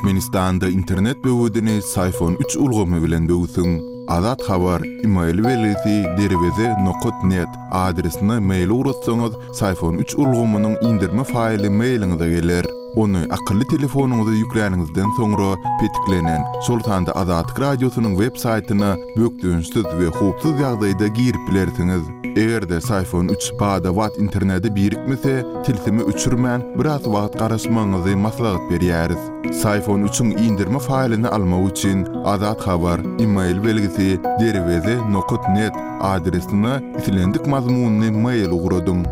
Türkmenistanda internet böwedini Syfon üç ulgamy bilen böwsüň. Azat Habar, email belgisi derweze nokat net adresine mail ugratsaňyz, Syfon üç ulgamynyň indirme faýly mailiňize geler. Ony akylly telefonyňyza ýükläniňizden soňra petiklenen, şol sanda Azatlyk Radiosynyň web saýtyna bökdençsiz we howpsuz ýagdaýda girip bilersiňiz. Eger-de Syfon üç bada-bat internete birikmese, tilsimi öçürmän, biraz wagt garaşmagyňyzy maslahat berýäris. Syfon üçiň indirme faýlyny almak üçin Azat Habar, email belgisi, derweze nokat net adresine islendik mazmunly mail ugradyň.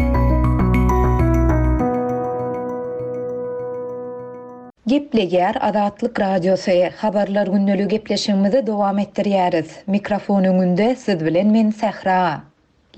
Gepleýär Azatlyk Radiosy, Habarlar gündeligi gepleşigimizi dowam etdirýäris. Mikrofon öňünde siz bilen men Sähra.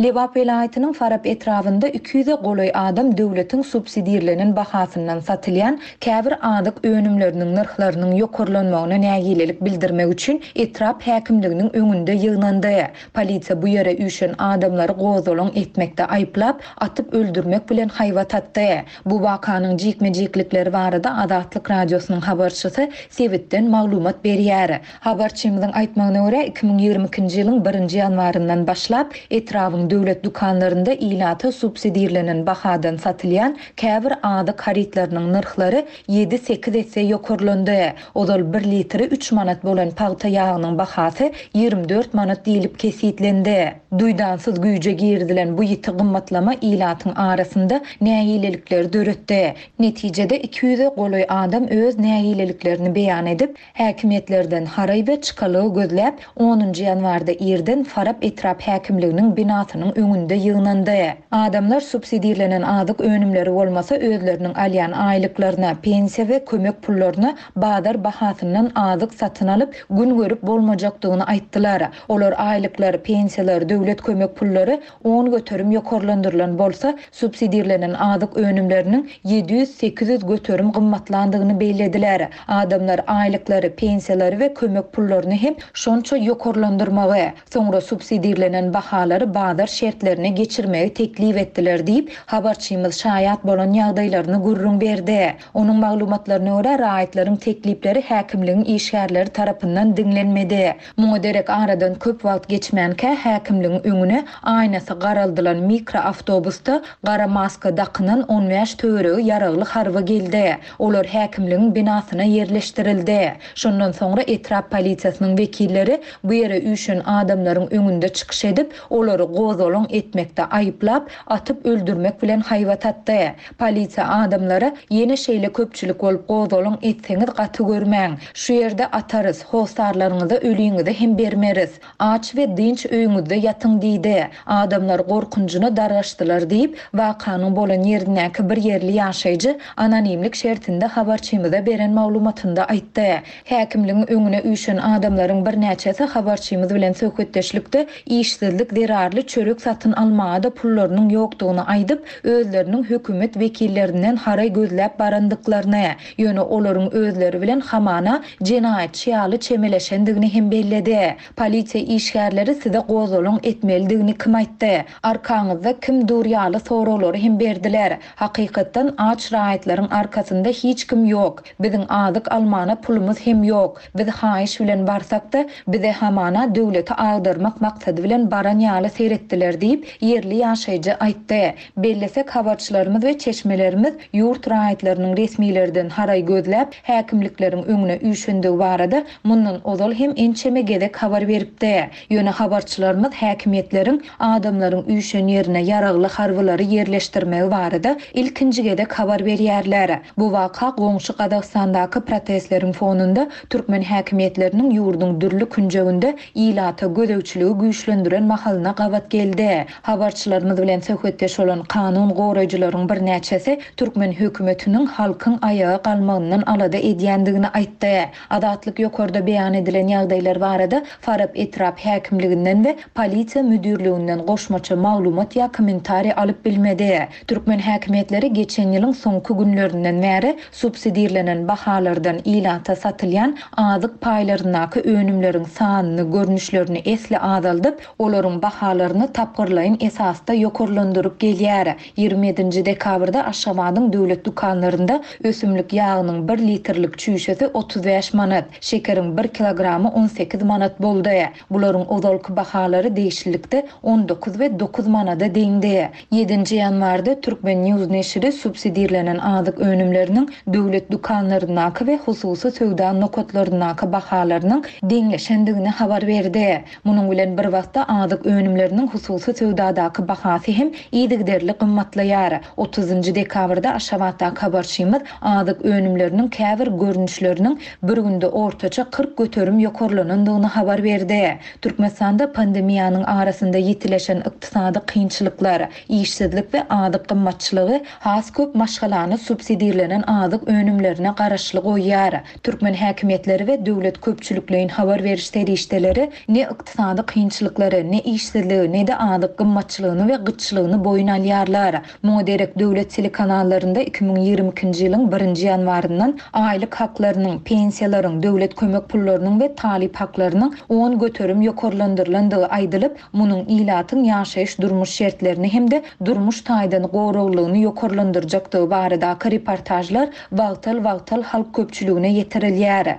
Lebap welaýatynyň Farap etrabynda 200-e golaý adam döwletiň subsidirlenen bahasyndan satylýan käbir azyk önümleriniň nyrhlarynyň ýokarlanmagyna nägilelik bildirmek üçin etrap häkimliginiň öňünde ýygnandy. Polisiýa bu ýere üýşen adamlary gozgalaň etmekde aýyplap, atyp öldürmek bilen haýbat atdy. Bu wakanyň jikme-jiklikleri barada Azatlyk Radiosynyň habarçysy sebitden maglumat berýär. Habarçymyzyň aýtmagyna görä, 2022-nji ýylyň birinji ýanwaryndan başlap, etrabyň döwlet dükanlarynda ilata subsidirlenen bahadan satylýan käbir azyk harytlarynyň nyrhlary ýedi-sekiz esse ýokarlandy. Ozal bir litri üç manat bolan pagta ýagynyň bahasy 24 manat diýlip kesgitlendi. Duýdansyz güýje girizilen bu ýiti gymmatlama ilatyň arasynda nägilelikleri döretdi. Netijede, 200-e golaý adam öz nägileliklerini beýan edip, Häkimiýetlerden haraý we çykalga gözläp, onunjy ýanwarda irden Farap etrap häkimliginiň binasynyň öňünde ýygnandy. Adamlar subsidirlenen azyk önümleri bolmasa özleriniň alýan aýlyklaryna, pensiýa we kömek pullaryna bazar bahasyndan azyk satyn alyp, gün görüp bolmajakdygyny aýtdylar. Olar aýlyklar, pensiýalar, döwlet kömek pullary 10% ýokarlandyrylan bolsa, subsidirlenen azyk önümleriniň 700-800 göterim gymmatlandygyny bellediler. Adamlar aýlyklary, pensiýalary we kömek pullaryny hem şonça ýokarlandyrmagy, soňra subsidirlenen bahalary bazar şertlerine geçirmegi teklip etdiler diýip, habarçymyz şaýat bolan ýagdaýlaryny gürrüň berdi. Onuň maglumatlaryna görä, raýatlaryň teklipleri häkimligiň işgärleri tarapyndan diňlenmedi. Muňa derek aradan köp wagt geçmänkä häkimligiň öňüne aýnasy garaldylan mikroawtobusda gara maska dakynan on bäş töweregi ýaragly harby geldi. Olar häkimligiň binasyna ýerleşdirildi. Şondan soňra etrap polisiýasynyň wekilleri bu ýere üýşen adamlaryň öňünde çykyş edip, olary gozgalaň etmekde aýyplap, atyp öldürmek bilen haýbat atdy. Polisiýa adamlara, Ýene şeýle köpçülik bolup gozgalaň etseňiz gaty görmäň. Şu ýerde atarys, hossarlaryňyza öliňizi hem bermeris. Aç we dynç öýüňizde ýatyň diýdi. Adamlar gorkunjyna dargaşdylar diýip, wakanyň bolan ýerindäki bir ýerli ýaşaýjy anonimlik şertinde habarçymyza beren maglumatynda aýtdy. Häkimligiň öňüne üýşen adamlaryň birnäçesi habarçymyz bilen söhbetdeşlikde işsizlik zerarly çörek satyn almaga-da pullarynyň ýokdugyny aýdyp, özleriniň hökümet wekillerinden haraý gözläp barandyklaryny, ýöne olaryň özleri bilen hamana jenaýatçy ýaly çemeleşendigini hem belledi. Polisiýa işgärleri size gozgalaň etmelidigini kim aýtdy? Arkaňyzda kim dur ýaly soraglary hem berdiler. Hakykatdan aç raýatlaryň arkasynda hiç kim ýok. Biziň azyk almana pulumyz hem ýok. Biz haýyş bilen barsak-da, bize hamana döwleti agdarmak maksady bilen baran ýaly seretdiler diýip, ýerli ýaşaýjy aýtdy. Bellesek, habarçylarymyz we çeşmelerimiz ýurt raýatlarynyň resmilerden haraý gözläp, häkimlikleriň öňüne üýşendigi barada mundan ozal hem ençeme gezek habar beripdi. Ýöne habarçylarymyz häkimiýetleriň adamlaryň üýşen ýerine ýaragly harbylary ýerleşdirmegi barada ilkinji gezek habar berýärler. Bu waka goňşy Gazagystandaky protestleriň fonunda türkmen häkimiýetleriniň ýurduň dürli künjeginde ilata gözegçiligi güýçlendiren mahalyna gabat geldi. Habarçylarymyz bilen söhbetdeş bolan kanun goraýjylaryň birnäçesi türkmen hökümetiniň halkyň aýaga galmagyndan alada edýändigini aýtdy. Azatlyk ýokarda beýan edilen ýagdaýlar barada Farap etrap häkimliginden we polisiýa müdirliginden goşmaça maglumat ýa kommentariý alyp bilmedi. Türkmen häkimiýetleri geçen ýylyň soňky günlerinden bäri subsidirlenen bahalardan ilata satylýan azyk paýlaryndaky önümleriň sanyny, görnüşlerini esli azaldyp, olaryň bahalaryny. bahasyny tapgyrlaýyn esasda ýokarlandyryp gelýär. 27-nji dekabrda Aşgabadyň döwlet dükanlarynda ösümlik ýagynyň bir litrlik çüýşesi 35 manat, şekeriň bir kilogramy 18 manat boldy. Bularyň ozalky bahalary degişlilikde 19 we 9 manada deňdi. Ýedinji ýanwarda Turkmen. News neşiri subsidirlenen azyk önümleriniň döwlet dükanlaryndaky we hususy söwda nokatlaryndaky bahalarynyň deňleşendigini habar berdi. Munuň bilen bir wagtda azyk önümleriniň hususy söwdadaky bahasy hem yzygiderli gymmatlaýar. Otuzynjy dekabrda Aşgabatdaky habarçymyz azyk önümleriniň käbir görnüşleriniň bir günde ortaça 40% ýokarlanandygyny habar berdi. Türkmenistanda pandemiýanyň arasynda ýitileşen ykdysady kynçylyklar, işsizlik we azyk gymmatçylygy has köp maşgalany subsidirlenen azyk önümlerine garaşly goýýar. Türkmen häkimiýetleri we döwlet köpçülikleýin habar beriş serişdeleri ne ykdysady kynçylyklary, ne işsizligi, ne-de azyk gymmatçylygyny we gytçylygyny boýun alýarlar. Muňa derek döwlet telekanallarynda 2022-nji ýylyň birinji ýanwaryndan aýlyk haklarynyň, pensiýalaryň, döwlet kömek pullarynyň we talyp haklarynyň 10% ýokarlandyrylandygy aýdylyp, munuň ilatyň ýaşaýyş-durmuş şertlerini hem-de durmuş taýdan goraglylygyny ýokarlandyrjakdygy baradaky reportažlar wagtal-wagtal halk köpçüligine ýetirilýär.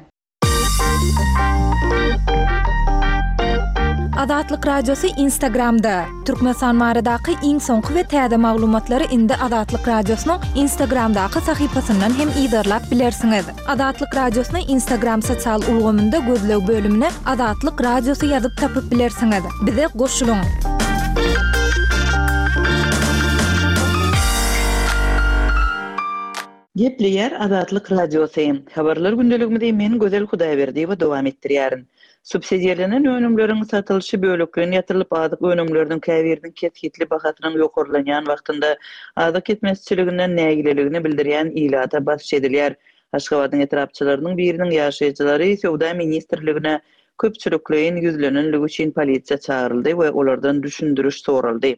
Azatlyk Radiosy Instagramda, Türkmenistan baradaky iň soňky we täze maglumatlary indi Azatlyk Radiosynyň Instagramdaky sahypasyndan hem yzarlap bilersiňiz. Azatlyk Radiosyny Instagram sosial ulgamynda gözleg bölümine Azatlyk Radiosy ýazyp tapyp bilersiňiz. Bize goşulyň! Gepleýär Azatlyk Radiosy. Habarlar gündeligimizi men Gözel Hudaýberdiýewa dowam etdirýärin. Subsidirlenen önümleriň satylyşy bölekleýin ýatyrylyp azyk önümleriniň käbiriniň kesgitli bahasynyň ýokarlanýan wagtynda azyk ýetmezçiliginden nägileligini bildirýän ilata basyş edilýär. Aşgabadyň etrapçalarynyň biriniň ýaşaýjylary Söwda ministrligine köpçülikleýin ýüzlenenligi üçin polisiýa çagyryldy we olardan düşündiriş soraldy.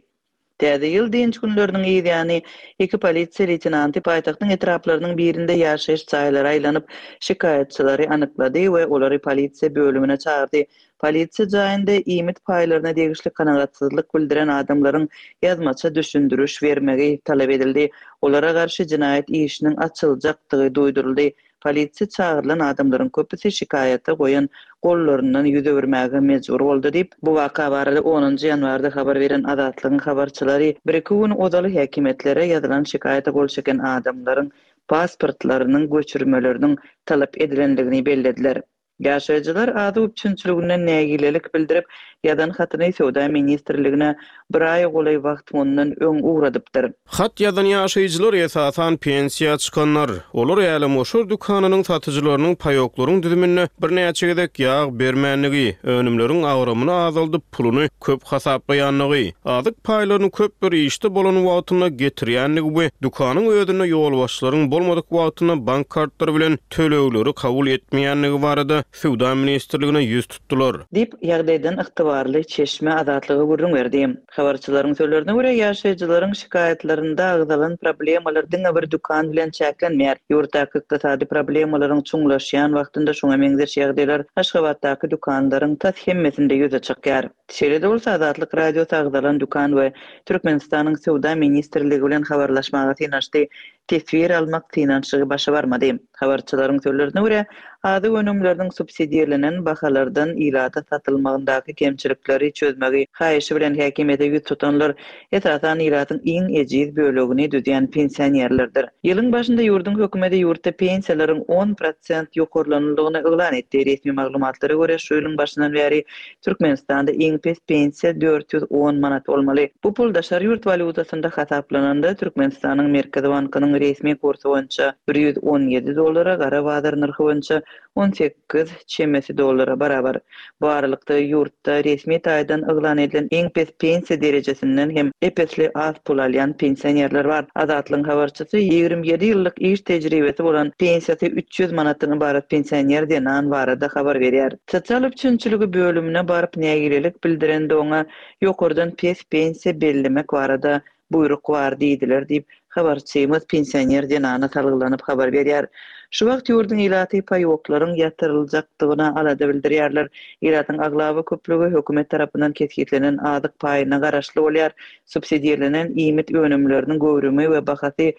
Täze ýyl dynç günleriniň yz ýany, iki polisiýa leýtenanty paýtagtyň etraplarynyň birinde ýaşaýyş jaýlara aýlanyp, şikaýatçylary anyklady we olary polisiýa bölümine çagyrdy. Polisiýa jaýynda iýmit paýlaryna degişli kanagatsyzlyk bildiren adamlaryň ýazmaça düşündiriş bermegi talap edildi. Olara garşy jenaýat işiniň açyljakdygy duýduryldy. Polisiýa çagyrylan adamlaryň köpüsi şikaýata goýan gollaryndan ýüz öwürmäge mejbur boldy diýip, bu waka barada onunjy ýanwarda habar beren Azatlygyň habarçylary bir-iki gün ozal häkimiýetlere ýazylan şikaýata gol çeken adamlaryň pasportlarynyň göçürmeleriniň talap edilendigini bellediler. Ýaşaýjylar azyk üpjünçiliginden nägilelik bildirip, ýazan hatyny Söwda ministrligine bir aýa golaý wagt mundan öň ugradypdyr. Hat ýazan ýaşaýjylar esasan pensiýa çykanlar. Olar älemgoşar dükanynyň satyjylarynyň paýoklaryň düzüminde birnäçe gezek ýag bermändigi, önümleriň agramyny azaldyp, puluny köp hasaplaýandygy, azyk paýlaryny köp bir işde bolan wagtynda getirýändigi we dükanyň özünde ýolbaşçylaryň bolmadyk wagtynda bank kartlary bilen tölegleri kabul etmeýändigi barada Söwda ministrligine ýüz tutdular. Diýip, ýagdaýdan ygtybarly çeşme Azatlyga gürrüň berdi. Habarçylaryň sözlerine görä, ýaşaýjylaryň şikaýatlarynda agzalan problemalar diňe bir dükan bilen çäklenmeýär. Ýurtdaky ykdysady problemalaryň çuňlaşýan wagtynda şuňa meňzeş ýagdaýlar Aşgabatdaky dükanlaryň tas hemmesinde ýüze çykýar. Şeýle-de bolsa, Azatlyk Radiosy agzalan dükan we Türkmenistanyň Söwda ministrligi bilen habarlaşmaga synanyşdy. Teswir almak synanyşygy başa barmady. Habarçylaryň sözlerine görä, azyk önümleriniň subsidirlenen bahalardan ilata satylmagyndaky kemçilikleri çözmegi haýyşy bilen häkimiýete ýüz tutanlar, esasan, ilatyň iň ejiz bölegini düzýän pensionerlerdir. Ýylyň başynda ýurduň hökümeti ýurtda pensiýalaryň 10 prosent ýokarlanandygyny yglan etdi. Resmi maglumatlara görä, şu ýylyň başyndan bäri Türkmenistanda iň pes pensiýa 410 manat bolmaly. Bu pul daşary ýurt walýutasynda hasaplananda, Türkmenistanyň Merkezi bankynyň resmi kursy boýunça 117 dollara, gara bazar nyrhy boýunça 18 çemesi dollara barabar. Bu aralykda, ýurtda resmi taýdan yglan edilen iň pes pensiýa derejesinden hem ep-esli az pul alýan pensionerler bar. Azatlygyň habarçysy 27 ýyllyk iş tejribesi bolan, pensiýasy 300 manatdan ybarat pensioner zenan barada habar berýär. Sosial üpjünçiligi bölümine baryp nägilelik bildirende oňa ýokardan pes pensiýa bellemek barada buýruk bar diýdiler diýip, habarçymyz pensioner zenana salgylanyp habar berýär. Şu wagt ýurduň ilaty paýoklaryň ýatyryljakdygyna alada bildirýärler. Ilatyň aglaba köplügi hökümet tarapyndan kesgitlenen azyk paýyna garaşly bolýar. Subsidirlenen iýmit önümleriniň göwrümi we bahasy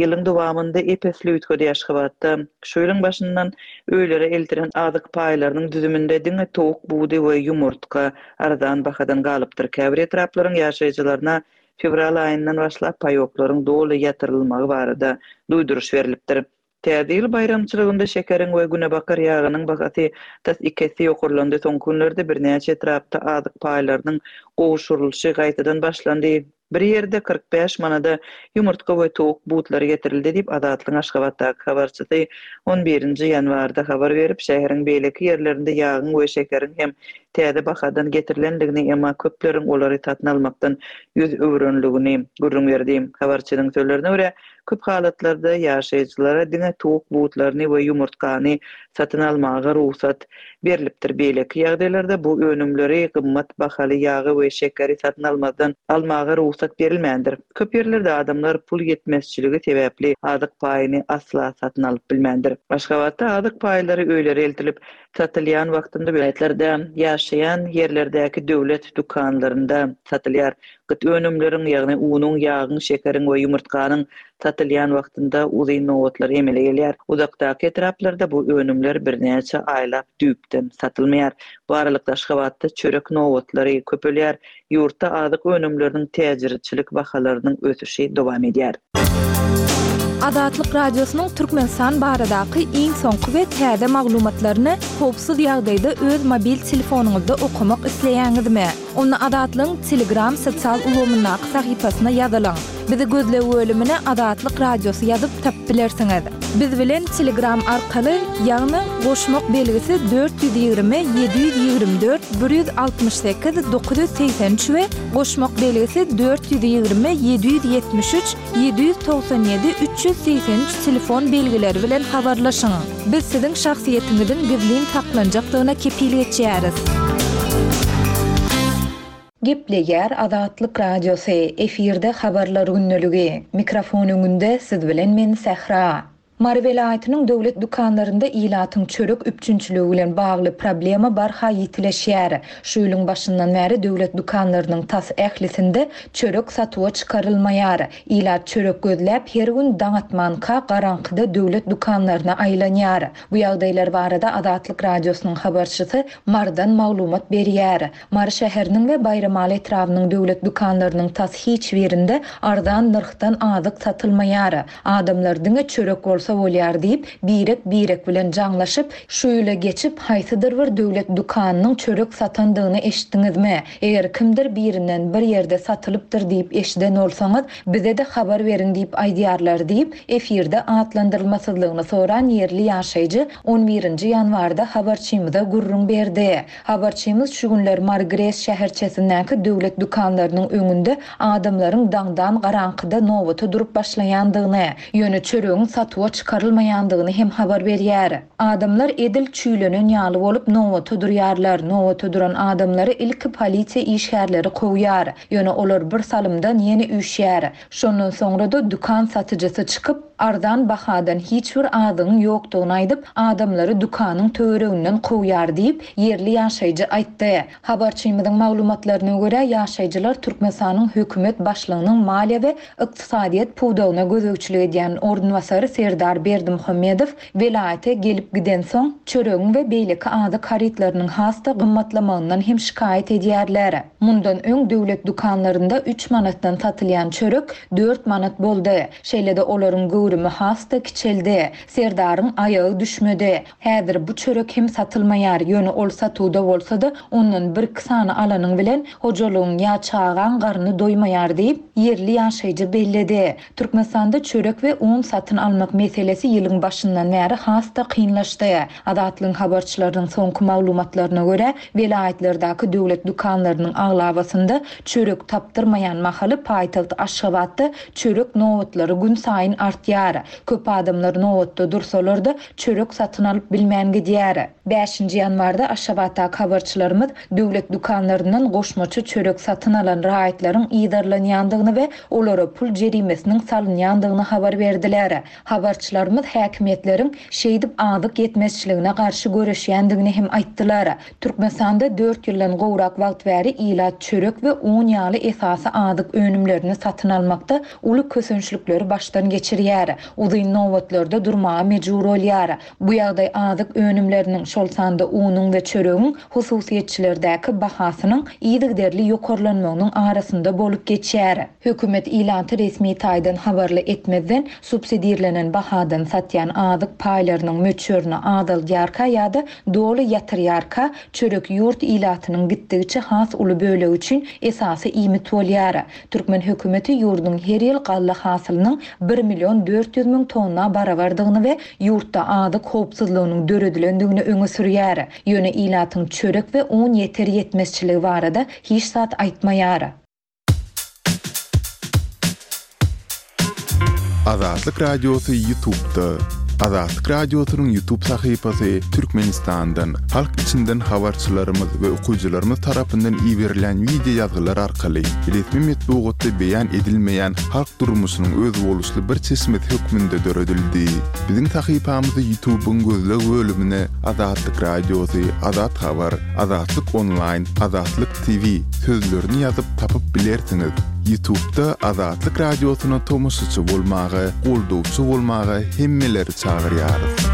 ýylyň dowamynda ep-esli üýtgedi. Aşgabatda şu ýylyň başyndan öýlere eltilen azyk paýlarynyň düzüminde diňe towuk budy we ýumurtga arzan bahadan galypdyr. Käbir etraplaryň ýaşaýjylaryna fewral aýyndan başlap paýoklaryň doly ýatyrylmagy barada duýduryş berlipdir. Täze ýyl baýramçylygynda şekeriň we günebakar ýagynyň bahasy tas iki esse ýokarlandy. Soňky günlerde birnäçe etrapda azyk paýlarynyň gowşurylyşy gaýtadan başlandy. Bir ýerde 45 manada ýumurtga we towuk butlary getirildi diýip, Azatlygyň Aşgabatdaky habarçysy on birinji ýanwarda habar berip, şäheriň beýleki ýerlerinde ýagyň we şekeriň hem täze bahadan getirilendigini, emma köpleriň olary satyn almakdan ýüz öwrenligini gürrüň berdi. Habarçynyň sözlerine görä, Köp halatlarda ýaşaýjylara diňe towuk butlaryny we ýumurtgany satyn almaga rugsat berlipdir. Beýleki ýagdaýlarda bu önümleri, gymmat bahaly ýagy we şekeri satyn almazdan almaga rugsat berilmändir. Köp ýerlerde adamlar pul ýetmezçiligi sebäpli azyk paýyny asla satyn alyp bilmändir. Aşgabatda azyk paýlary öýlere eltilip satylýan wagtynda welaýatlarda ýaşaýan ýerlerdäki döwlet dükanlarynda satylýar. Gyt önümleriň, ýagny unuň, ýagyň, şekeriň we ýumurtganyň satylýan wagtynda uzyn nobatlar emele gelýär. Uzakdaky etraplarda bu önümler birnäçe aýlap düýpden satylmaýar. Bu aralykda Aşgabatda çörek nobatlary köpelýär. Ýurtda azyk önümleriniň täjirçilik bahalarynyň ösüşi dowam edýär. Azatlyk Radiosynyň Türkmenistan baradaky iň soňky we täze maglumatlaryny howpsuz ýagdaýda öz mobil telefonyňyzda okamak isleýäňizmi? Onda Azatlygyň Telegram sosial ulgamyndaky sahypasyna ýazylyň. Bizi gözleg bölümine Azatlyk Radiosy ýazyp tapyp bilersiňiz. Biz bilen Telegram arkaly, ýagny goşmak belgisi 420 724 168 983 we goşmak belgisi 420 773 797 383 telefon belgileri bilen habarlaşyň. Biz siziň şahsyýetiňiziň gizlin saklanjakdygyna kepil geçýäris. Gepleýär Azatlyk Radiosy, efirde Habarlar gündeligi. Mikrofon öňünde siz bilen men Sähra. Mary welaýatynyň döwlet dükanlarynda ilatyň çörek üpjünçiligi bilen bagly problema barha ýitileşýär. Şu ýylyň başyndan bäri döwlet dükanlarynyň tas ählisinde çörek satuwa çykarylmaýar. Ilat çörek gözläp, her gün daň atmanka garaňkyda döwlet dükanlaryna aýlanýar. Bu ýagdaýlar barada Azatlyk Radiosynyň habarçysy Marydan maglumat berýär. Mary şäheriniň we Baýramaly etrabynyň döwlet dükanlarynyň tas hiç birinde arzan nyrhdan azyk satylmaýar. Adamlar diňe çörek bolsa bolýar diýip, birek-birek bilen jaňlaşyp, şu ýyla geçip, haýsydyr bir döwlet dükanynyň çörek satandygyny eşitdiňizmi? Eger kimdir birinden bir ýerde satylypdyr diýip eşiden bolsaňyz, bize-de habar beriň diýip aýdýarlar diýip, efirde atlandyrylmasyzlygyny soran ýerli ýaşaýjy on birinji ýanwarda habarçymyza gürrüň berdi. Habarçymyz şu günler Mary-GRES şäherçesindäki döwlet dükanlarynyň öňünde adamlaryň daňdan garaňkyda nobata durup başlaýandygyny, ýöne çöregiň satuwa çykarylmaýandygyny hem habar berýär. Adamlar edil çüýlenen ýaly bolup nobata durýarlar. Nobata duran adamlary ilki polisiýa işgärleri kowýar. Ýöne olar bir salymdan ýene üýşýär. Şondan soňra-da dükan satyjysy çykyp, arzan bahadan hiç bir azygyň ýokdugyny aýdyp, adamlary dükanyň töwereginden kowýar diýip, ýerli ýaşaýjy aýtdy. Habarçymyzyň maglumatlaryna görä, ýaşaýjylar Türkmenistanyň hökümet başlygynyň maliýe we ykdysadyýet pudagyna gözegçilik edýän orunbasary Serdar Berdimuhamedow Welaýata gelip gidensoň, çöregiň we beýleki azyk harytlarynyň has-da gymmatlamagyndan hem şikaýat edýärler. Mundan öň döwlet dükanlarynda üç manatdan satylýan çörek dört manat boldy. Şeýle-de olaryň göwrümi has-da kiçeldi. Serdaryň aýagy düşmedi. Häzir bu çörek hem satylmaýar, ýöne ol satuwda bolsa-da, ondan birki sany alanyň bilen hojalygyň ýa çagaň garny doýmaýar diýip, ýerli ýaşaýjy belledi. Türkmenistanda çörek we un satyn almak meselesi. meselesi ýylyň başyndan bäri has-da kynlaşdy. Azatlygyň habarçylarynyň soňky maglumatlaryna görä, welaýatlardaky döwlet dükanlarynyň aglabasynda çörek tapdyrmaýan mahaly paýtagt Aşgabatda çörek nobatlary günsaýyn artýar. Köp adamlar nobatda dursalar-da, çörek satyn alyp bilmän gidýär. Bäşinji ýanwarda Aşgabatdaky habarçylarymyz döwlet dükanlaryndan goşmaça çörek satyn alan raýatlaryň yzarlanýandygyny we olara pul jerimesiniň salynýandygyny habar berdiler. Habarçylarymyz häkimiýetleriň şeýdip azyk ýetmezçiligine garşy göreşýändigini hem aýtdylar. Türkmenistanda dört ýyldan gowrak wagt bäri ilat çörek we un ýaly esasy azyk önümlerini satyn almakda uly kösençlikleri başdan geçirýär, uzyn nobatlarda durmaga mejbur bolýar. Bu ýagdaý azyk önümleriniň, şol sanda unuň we çöregiň hususyýetçilerdäki bahasynyň yzygiderli ýokarlanmagynyň arasynda bolup geçýär. Hökümet ilaty resmi taýdan habarly etmezden, subsidirlenen bahadan satýan azyk paýlarynyň möçberini azaldýarka ýa-da doly ýatyrýarka, çörek ýurt ilatynyň gitdigiçe has uly bölegi üçin esasy iýmit bolýar. Türkmen hökümeti ýurduň her ýyl galla hasylynyň bir million 400 müň tonna barabardygyny we ýurtda azyk howpsuzlygynyň döredilendigini öňe sürýär. Ýöne ilatyň çörek we un ýeter-ýetmezçiligi barada hiç zat aýtmaýar. Azatlyk Radiosy Ýutubda. Azatlyk Radiosynyň Ýutub sahypasy Türkmenistandan, halk içinden habarçylarymyz we okyjylarymyz tarapyndan iberilýän wideo ýazgylar arkaly resmi metbugatda beýan edilmeýän halk durmuşynyň özboluşly bir çeşmesi hökmünde döredildi. Biziň sahypamyzy Ýutubyň gözleg bölümine Azatlyk Radiosy, Azat Habar, Azatlyk Onlaýn, Azatlyk TV sözlerini ýazyp tapyp bilersiňiz. Ýutubda Azatlyk Radiosyna tomaşaçy bolmaga, goldawçy bolmaga hemmeleri çagyrýarys.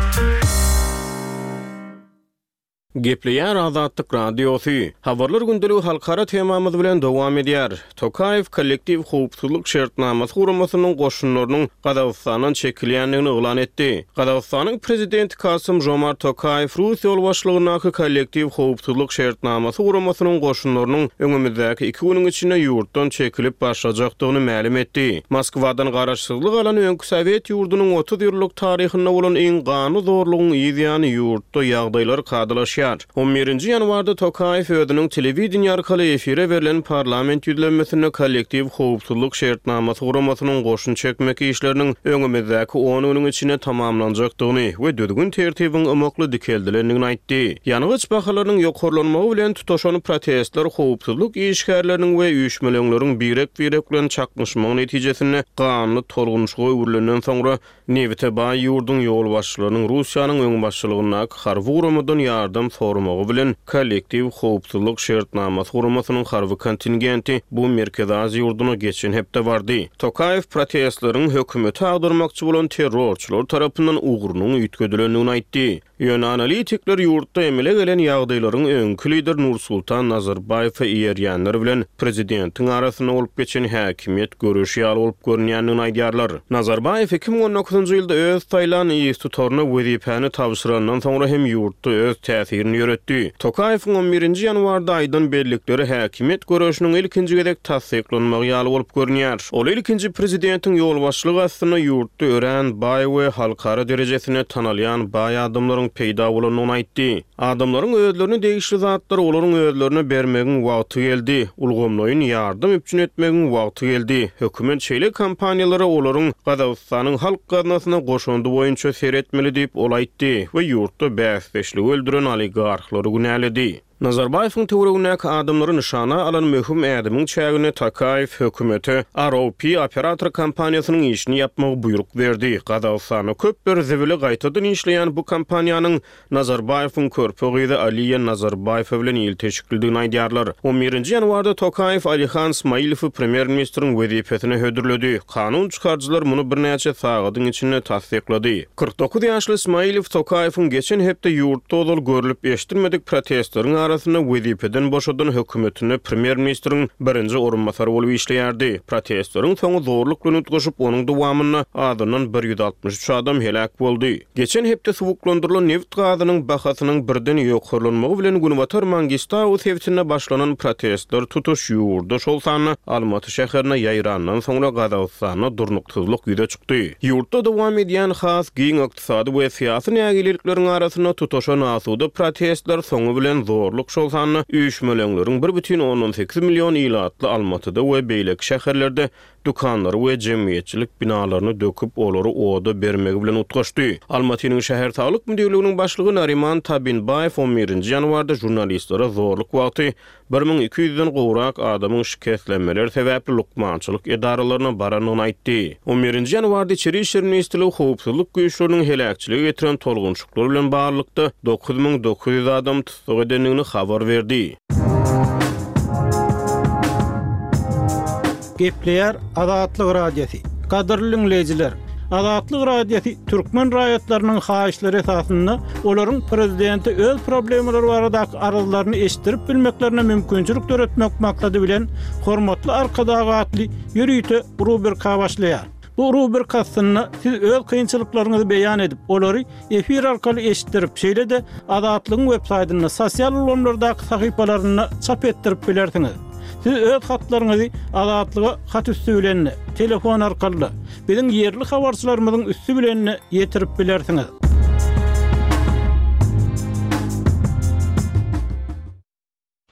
Gepleýär Azatlyk Radiosy. Habarlar gündeligi halkara temamyz bilen dowam edýär. Tokaýew Kollektiw howpsuzlyk şertnamasy guramasynyň goşunlarynyň Gazagystandan çekilýändigini yglan etdi. Gazagystanyň Prezidenti Kasym-Žomart Tokaýew rus ýolbaşçylygyndaky Kollektiw howpsuzlyk şertnamasy guramasynyň goşunlarynyň öňümizdäki iki günüň içinde ýurtdan çekilip başlajakdygyny mälim etdi. Moskwadan garaşsyzlyk alan öňki sowet ýurdunyň 30 ýyllyk taryhynda bolan iň ganly zorlugyň yz ýany ýurtda ýagdaýlar kadalaşýar. On birinji ýanwarda Tokaýew özüniň telewideniýe arkaly efire berlen parlament ýüzlenmesinde Kollektiw howpsuzlyk şertnamasy guramasynyň goşun çekmek işleriniň öňümizdäki on günüň içinde tamamlanjakdygyny we düzgün-tertibiň ymykly dikeldilendigini aýtdy. Ýangyç bahalarynyň ýokarlanmagy bilen tutaşan protestler howpsuzlyk işgärleriniň we üýşmeleňleriň birek-birek bilen çaknyşmagy netijesinde ganly tolgunyşyga öwrülenden soňra Nebite baý ýurduň ýolbaşçylarynyň Russiýanyň öňbaşçylygyndaky harby guramadan ýardam soramagy bilen Kollektiw howpsuzlyk şertnamasy guramasynyň harby kontingenti bu Merkezi Aziýa ýurduna geçen hepde bardy. Tokaýew protestleriň hökümeti agdarmakçy bolan terrorçylar tarapyndan ugrunyň üýtgedilendigini aýtdy. Ýöne analitikler ýurtda emele gelen ýagdaýlaryň öňki lider Nursultan Nazarbaýewe eýerýänler bilen prezidentiň arasynda bolup geçen häkimiýet göreşi ýaly bolup görünýändigini aýdýarlar. Nazarbaýew 2019-njy ýylda öz saýlan yztutaryna wezipäni tabşyrandan soňra hem ýurtda öz täsirini ýöretdi. Tokaýewiň on birinji ýanwarda aýdan bellikleri häkimiýet göreşiniň ilkinji gezek tassyklanmagy ýaly bolup görünýär. Ol ilkinji prezidentiň ýolbaşçylygy astynda ýurtda örän baý we halkara derejesinde tanalýan baý adamlaryň peýda bolandygyny aýtdy. Adamlaryň özlerine degişli zatlary olaryň özlerine bermegiň wagty geldi. Ulgamlaýyn ýardam üpjün etmegiň wagty geldi. Hökümet şeýle kompaniýalara olaryň Gazagystanyň halk gaznasyna goşandy boýunça seretmeli diýip, ol aýtdy we ýurtda bäsdeşligi öldüren oligarhlary günäledi. Nazarbaýewiň töweregindäki adamlary nyşana alan möhüm ädimiň çäginde Tokaýew hökümete ROP operator kompaniýasynyň işini ýapmagy buýruk berdi. Gazagystanda köpler zibili gaýtadan işleýän bu kompaniýanyň Nazarbaýewiň körpe gyzy Aliýa Nazarbaýewa bilen ilteşiklidigini aýdýarlar. On birinji ýanwarda Tokaýew Alihan Smailowy premýer-ministriň wezipesine hödürledi. Kanun çykaryjylar muny birnäçe sagadyň içinde tassyklady. 49 ýaşly Smailow Tokaýewiň geçen hepde ýurtda ozal görlüp-eşidilmedik protestleriň arasynda. arasynda wezipeden boşadan hökümetinde premýer-ministriň birinji orunbasary bolup işleýärdi. Protestleriň soňy zorluk bilen utgaşyp, onuň dowamynda azyndan 163 adam heläk boldy. Geçen hepde suwuklandyrylan nebit gazynyň bahasynyň birden ýokarlanmagy bilen Günbatar Mangistau sebitinde başlanan protestler tutuş ýurda, şol sanda Almaty şäherine ýaýrandan soňra Gazagystanda durnuksyzlyk ýüze çykdy. Ýurtda dowam edýän has giň ykdysady we syýasy nägilelikleriň arasynda tutaşan asuda protestler soňy bilen zorluk, şol sanda üýşmeleňleriň 1,8 million ilatly Almatyda we beýleki şäherlerde dükanlary we jemgyýetçilik binalaryny döküp, olary oda bermegi bilen utgaşdy. Almatynyň şäher saglyk müdirliginiň başlygy Nariman Tabinbaýew on birinji ýanwarda žurnalistlere zorluk wagty 1200-den gowrak adamyň şikeslenmeler sebäpli lukmançylyk edaralaryna barandygyny aýtdy. On birinji ýanwarda Içeri işler ministrligi howpsuzlyk güýçleriniň heläkçilige getiren tolgunşyklar bilen baglylykda 9900 adamy tussag edendigini habar berdi. Gepleýär Azatlyk Radiosy. Gadyrly diňleýjiler! Azatlyk Radiosy türkmen raýatlarynyň haýyşlary esasynda olaryň prezidente öz problemalary baradaky arzlaryny eşitdirip bilmeklerine mümkinçilik döretmek maksady bilen Hormatly Arkadag atly ýörite rubrika başlaýar. Bu rubrika astynda siz öz kynçylyklaryňyzy beýan edip, olary efir arkaly eşitdirip, şeýle-de Azatlygyň websaýtynda, sosial ulgamlardaky sahypalarynda çap etdirip bilersiňiz. Siz öz hatlaryňyzy Azatlyga hat üsti bilen-de, telefon arkaly-da, biziň ýerli habarçylarymyzyň üsti bilen-de ýetirip bilersiňiz.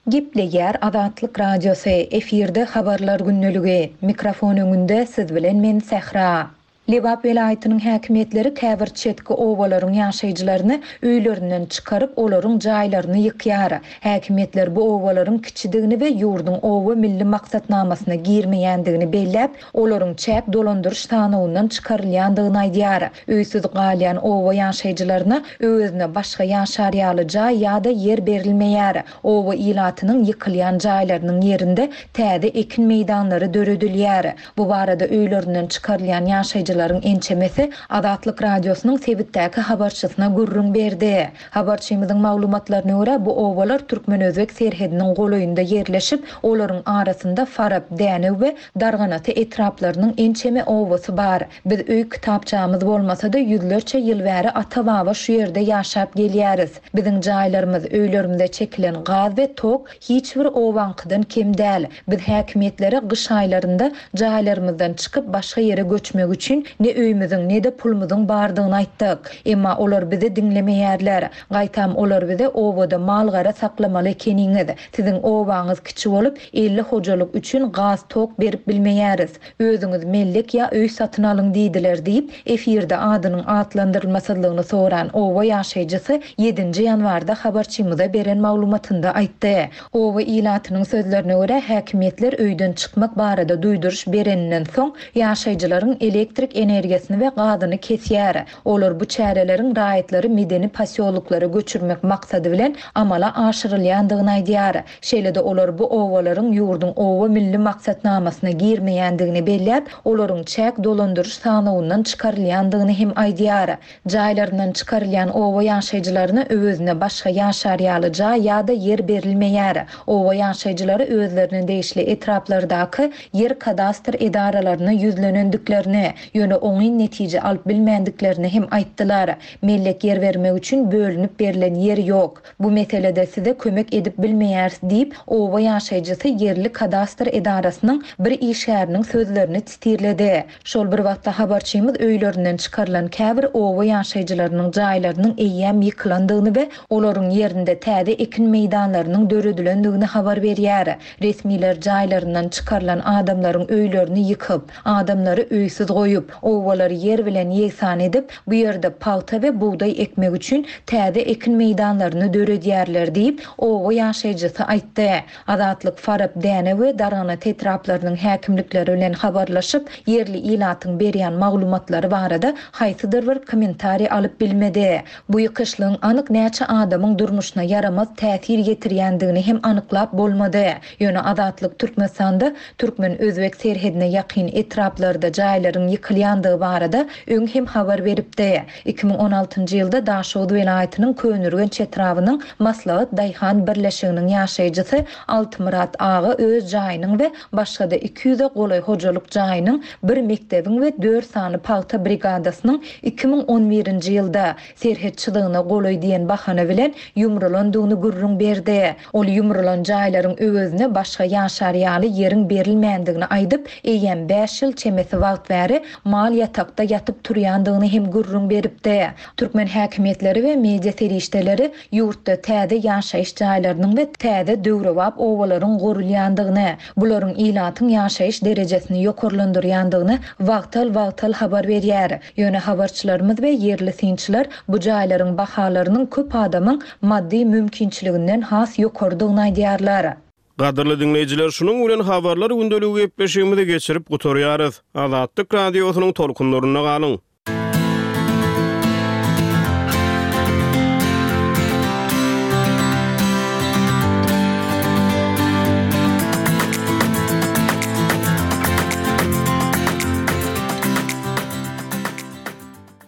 Gepleýär Azatlyk Radiosy, efirde Habarlar gündeligi. Mikrofon öňünde siz bilen men Sähra. Lebap welaýatynyň häkimiýetleri käbir çetki obalaryň ýaşaýjylaryny öýlerinden çykaryp, olaryň jaýlaryny ýykýar. Häkimiýetler bu obalaryň kiçidigini we ýurduň Oba milli maksatnamasyna girmeýändigini belläp, olaryň çäk dolandyryş sanawyndan çykarylýandygyny aýdýar. Öýsüz galýan oba ýaşaýjylaryna öwezine başga ýaşar ýaly jaý ýa-da ýer berilmeýär. Oba ilatynyň ýykylýan jaýlarynyň ýerinde täze ekin meýdanlary döredilýär. Bu barada öýlerinden çykarylýan ýaşaýjylaryň ençemesi Azatlyk Radiosynyň sebitdäki habarçysyna gürrüň berdi. Habarçymyzyň maglumatlaryna görä, bu obalar türkmen-özbek serhediniň golaýynda ýerleşip, olaryň arasynda Farap, Dänew we Darganata etraplarynyň ençeme obasy bar. Biz öý kitapçamyz bolmasa-da, ýüzlerçe ýyl bäri ata-baba şu ýerde ýaşap gelýäris. Biziň jaýlarymyz, öýlerimize çekilen gaz we tok hiç bir obaňkydan kem däl. Biz häkimiýetlere gyş aýlarynda jaýlarymyzdan çykyp başga ýere göçmek üçin ne öýümiziň, ne-de pulumyzyň bardygyny aýtdyk. Emma olar bizi diňlemeýärler. Gaýtam olar bize obada mal-gara saklamaly ekeniňiz, siziň obaňyz kiçi bolup, 50 hojalyk üçin gaz-tok berip bilmeýäris. Özüňiz mellek ýa öý satyn alyň diýdiler diýip, efirde adynyň atlandyrylmasyzlygyny soran oba ýaşaýjysy ýedinji ýanwarda habarçymyza beren maglumatynda aýtdy. Oba ilatynyň sözlerine görä, häkimiýetler öýden çykmak barada duýduryş bereninden soň, ýaşaýjylaryň elektrik energiýasyny we gazyny kesýär. Olar bu çäreleriň raýatlary medeni posýoloklara göçürmek maksady bilen amala aşyrylýandygyny aýdýar. Şeýle-de olar bu obalaryň ýurduň Oba milli maksatnamasyna girmeýändigini belläp, olaryň çäk dolandyryş sanawyndan çykarylýandygyny hem aýdýar. Jaýlaryndan çykarylýan oba ýaşaýjylaryna öwezine başga ýaşar ýaly jaý ýa-da ýer berilmeýär. Oba ýaşaýjylary özlerine degişli etraplardaky ýer kadastr edaralaryna ýüzlenendiklerini, ýöne oňyn netije alyp bilmändiklerini hem aýtdylar. Mellek ýer bermek üçin bölünip berlen ýer ýok. Bu meselede size kömek edip bilmeýäris diýip, oba ýaşaýjysy ýerli kadastr edarasynyň bir işgäriniň sözlerini titirledi. Şol bir wagtda habarçymyz öýlerinden çykarylan käbir oba ýaşaýjylarynyň jaýlarynyň eýýäm ýykylandygyny we olaryň ýerinde täze ekin meýdanlarynyň döredilendigini habar berýär. Resmiler jaýlaryndan çykarylan adamlaryň öýlerini ýykyp, adamlary öýsüz goýup, obalary ýer bilen ýegsan edip, bu ýerde pagta we bugdaý ekmek üçin täze ekin meýdanlaryny döredýärler diýip, oba ýaşaýjysy aýtdy. Azatlyk Farap, Däne we Darganat etraplarynyň häkimlikleri bilen habarlaşyp, ýerli ilatyň berýän maglumatlary barada haýsydyr bir kommentariý alyp bilmedi. Bu ýykyşlygyň anyk näçe adamyň durmuşyna ýaramaz täsir ýetirýändigini hem anyklap bolmady. Ýöne Azatlyk Türkmenistanda türkmen-özbek serhedine ýakyn etraplarda jaýlaryň ýykylýandygyny. ýykylýandygy barada öň hem habar beripdi. 2016-njy ýylda Daşoguz welaýatynyň Köneürgenç etrabynyň Maslahat daýhan birleşiginiň ýaşaýjysy Altymyrat aga öz jaýynyň we başga-da iki ýüze golaý hojalyk jaýynyň, bir mekdebiň we dört sany pagta brigadasynyň 2011-nji ýylda, serhet çyzygyna golaý diýen bahana bilen ýumrulandygyny gürrüň berdi. Ol ýumrulan jaýlaryň öwezine başga ýaşar ýaly ýeriň berilmändigini aýdyp, eýýäm bäş ýyl çemesi wagt bäri mal ýatakda ýatyp turýandygyny hem gürrüň beripdi. Türkmen häkimiýetleri we media serişdeleri ýurtda täze ýaşaýyş jaýlarynyň we täze döwrebap obalaryň gurulýandygyny, bularyň ilatyň ýaşaýyş derejesini ýokarlandyrýandygyny wagtal-wagtal habar berýär. Ýöne habarçylarymyz we ýerli synçylar bu jaýlaryň bahalarynyň köp adamyň maddy mümkinçiliginden has ýokarydygyny aýdýarlar. Gadyrly diňleýjiler, şunuň bilen Habarlar gündeligi gepleşigimizi geçirip gutarýarys. Azatlyk Radiosynyň tolkunlarynda galyň!